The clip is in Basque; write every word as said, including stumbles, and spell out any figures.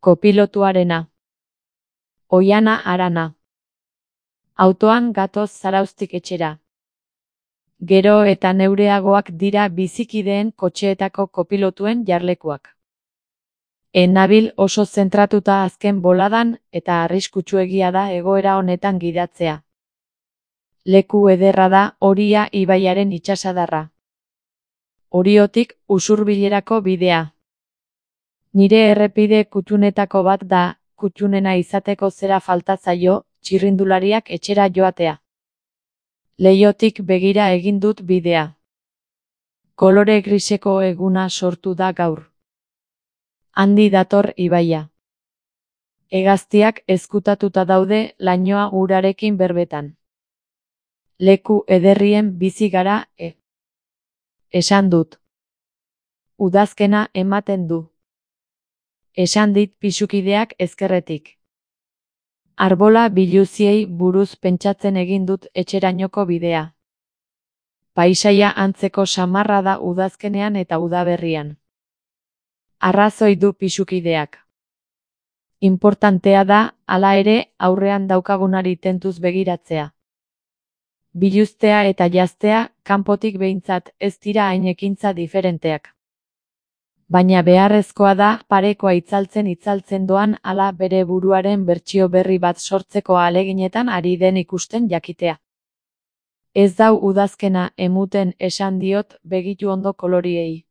Kopilotuarena. Oihana Arana. Autoan gatoz Zarauztik etxera. Gero eta neureagoak dira bizikideen kotxeetako kopilotuen jarlekuak. Enabil oso zentratuta azken boladan eta arriskutsuegia da egoera honetan gidatzea. Leku ederra da Oria ibaiaren itsasadarra. Oriotik Usurbilerako bidea. Nire errepide kuttunetako bat da, kuttunena izateko zera falta zaio, txirrindulariak etxera joatea. Leihotik begira egin dut bidea. Kolore griseko eguna sortu da gaur. Handi dator ibaia. Hegaztiak ezkutatuta daude lainoa urarekin berbetan. Leku ederrien bizi gara, e. Esan dut. Udazkena ematen du. Esan dit pisukideak ezkerretik. Arbola biluziei buruz pentsatzen egin dut etxerainoko bidea. Paisaia antzeko samarra da udazkenean eta udaberrian. Arrazoi du pisukideak. Inportantea da, hala ere, aurrean daukagunari tentuz begiratzea. Biluztea eta jaztea, kanpotik behintzat, ez dira hain ekintza diferenteak. Baina beharrezkoa da, parekoa itzaltzen itzaltzen doan ala bere buruaren bertsio berri bat sortzeko ahaleginetan ari den ikusten jakitea. Ez dau udazkena emuten esan diot begitu ondo koloriei.